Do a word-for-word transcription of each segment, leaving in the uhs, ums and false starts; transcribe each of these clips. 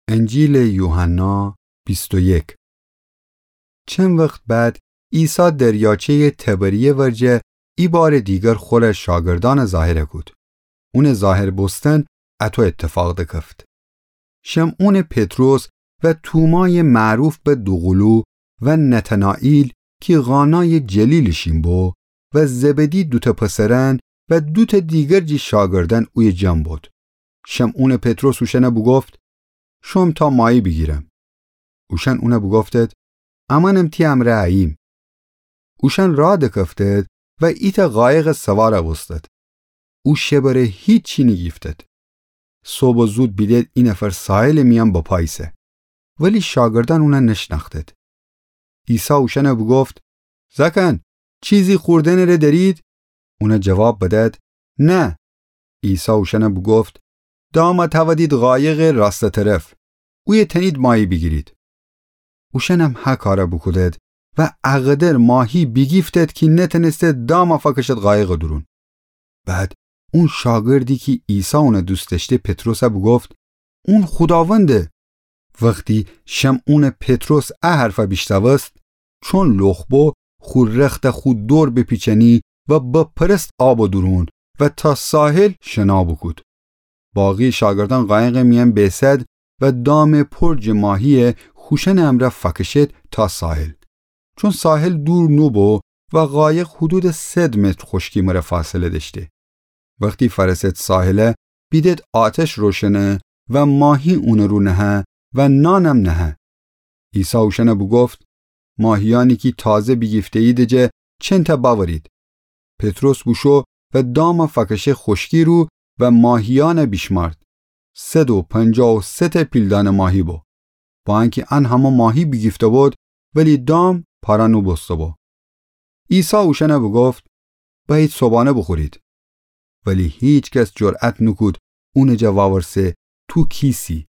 انجیلٚ یوحنا بیست و یک. چند وخت بعد عیسی دریاچه‌یٚ طبریه ورجه ایبارٚ دیگر خوره شاگردأنٚ ظاهر کود. اونٚ ظاهر بوستن اطو اتفاق دکفت: شمعونٚ پطرس و تومایٚ معروف به دوقولو و نتنائیل کی قانایٚ جلیل شین بو و زبدی دوتأ پسرأن و دوتأ دیگر جٚه شاگردأن اویه جمع بد. شمعونٚ پطرس اوشأن بوگفت: شوم تا ماهی بیگیرم. اوشأن اون بوگفتد: امأنم تی امرأ اییم. اوشأن راه دکفتد و ایتأ قایق سوار بوستد. او شبٚ ره هیچی نیگیفتد. صبحٚ زود بیدد ای نفر ساحلٚ میأن بپا ایسه، ولی شاگردأن اون نشنأختد. عیسی اوشأن بوگفت: زأکأن، چیزی خوردنٚ ره دأرید؟ اون جواب بدد: نه. عیسی اوشأن بوگفت: دام تأودید قایقٚ راستٚ طرف، اویه تأنید ماهی بیگیرید. اوشأنم هه کار بوکودد و اقدر ماهی بیگیفتد کی نتأنستد دام فأکشد قایقٚ دورون. بعد اون شاگردی کی عیسی اون دوست دأشته پطرس بوگفت: اون خوداونده. وختی شمعونٚ پطرس ا حرف بیشنوست، چون لخت بو، خو رخت خو دور بپیچأنی و بپرست آبٚ دورون و تا ساحل شنا بوکود. باقی شاگردأن قایقٚ میأن بیسد و دام پر جٚه ماهی خوشأنٚ امرأ فأکشد تا ساحل، چون ساحل دور نوبو و قایق حدودٚ صد متر خوشکی مره فاصله دأشته. وختی فأرسد ساحل، بیدد آتش روشنه و ماهی اونٚ رو نهه و نانم نهه. عیسی اوشأن بوگفت: ماهیأنی کی تازه بیگیفته‌ییدٚ جا چنتأ بأورید. پطرس بوشو و دام فأکشه خوشکی رو و ماهیأن بیشمأرد. صد و پنجاه و سه تأ پیلدأنٚ ماهی بو. با انکی ان همه ماهی بیگیفته بود، ولی دام پارا نوبوسته بو. عیسی اوشأن بوگفت: بأیید صبحانه بوخورید. ولی هیکس جرأت نوکود اونٚ جا وأورسه: تو کیسی؟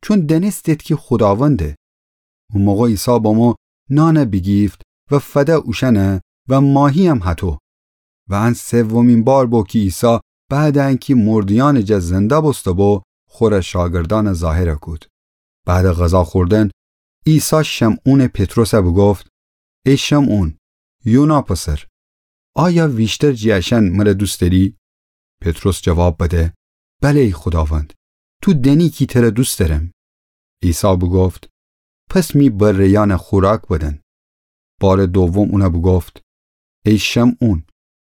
چون دأنستد کی خوداونده. او موقع عیسی بمو نان بیگیفت و فده اوشأن و ماهییم هطو. و ان سومین بار بو کی عیسی بعدٚ انکی مرده‌یأنٚ جا زنده بوسته بو، خوره شاگردأن ظاهر کود. بعدٚ غذا خوردن، عیسی شمعونٚ پطرس بوگفت: ای شمعون، یونا پسر، آیا ویشتر جٚه اشأن مره دوست دأری؟ پطرس جواب بده: بله ای خوداوند، تو دأنی کی تره دوست دأرم. عیسی بوگفت: پس می بره‌یأن خوراک بدن. بارٚ دوم اون بوگفت: ای شمعون،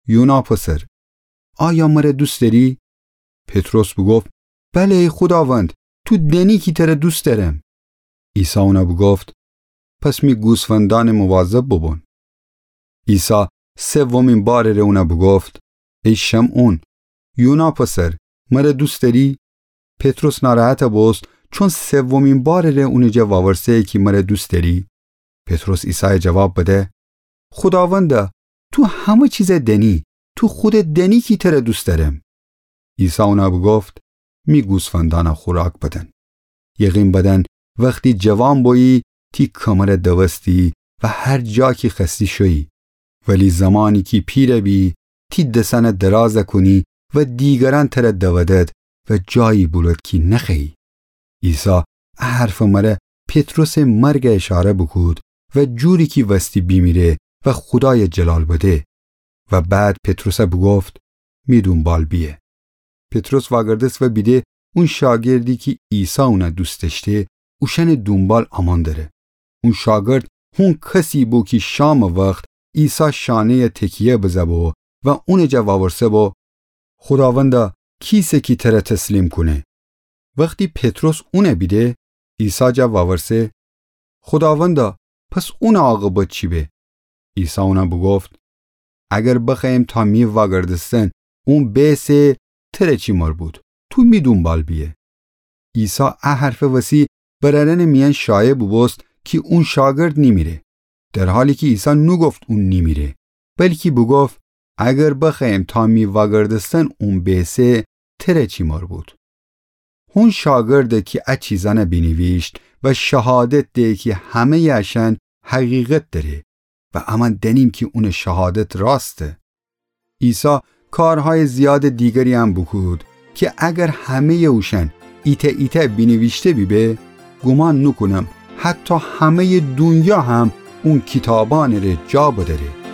یونا پسر، آیا مره دوست دأری؟ پطرس بوگفت: بله ای خوداوند، تو دأنی کی تره دوست دأرم. عیسی اون بوگفت: پس می گوسفندأنٚ مواظب بوبون. عیسی سومین بارٚ ره اون بوگفت: ای شمعون، یونا پسر، مره دوست دأری؟ پطرس ناراحت بوست، چون سومین بارٚ ره اونٚ جا وأورسه کی مره دوست دأری. پطرس عیسای جواب بده: خوداوندا، تو همه چیز دأنی، تو خودت دأنی کی تره دوست دأرم. عیسی اون بوگفت: می گوسفندأن خوراک بدن. یقین بدن، وختی جوان بویی، تی کمر دوستی و هر جا کی خوأستی شویی. ولی زمانی کی پیر بی، تی دسأن دراز کونی و دیگرأن تره دودد و جایی بولد کی نخوأیی. عیسی ا حرفٚ مره پطرسٚ مرگ اشاره بوکود و جوری کی وستی بیمیره و خودای جلال بده. و بعد پطرس بوگفت: می دونبال بیه. پطرس واگردست و بیده اون شاگردی کی عیسی اون دوست دأشته، اوشأنٚ دونبال امون دره. اون شاگرد هون کسی بو کی شامٚ وخت عیسی شانه‌ی تکیه بزه بو و اونٚ جا وأورسه بو: خوداوندا، کیسه کی تره تسلیم کونه؟ وختی پطرس اون بیده، عیسی جا وأورسه: خوداوندا، پس اونٚ عاقبت چی به؟ عیسی اون بوگفت: اگر بخوأیم تا می واگردستن اون بیسه، تره چی مربوط؟ تو می دونبال بیه. عیسی ا حرفٚ وسی برأرأنٚ میأن شایع بوبوست کی اون شاگرد نیمیره، در حالی کی عیسی نوگفت اون نیمیره، بلکی بوگفت: اگر بخوأیم تا می واگردستن اون بیسه، تره چی مربوط؟ هون شاگرده کی ا چیزأن بینیویشت و شهادت ده کی همه‌یٚ اشأن حقیقت دره و امأن دأنیم کی اونٚ شهادت راسته. عیسی کارهایٚ زیادٚ دیگرییم بوکود کی اگر همه‌یٚ اوشأن ایتأ ایتأ بینیویشته بیبه، گومان نوکونم حتی همه‌یٚ دونیا هم اون کیتابأنٚ ره جا بدأره.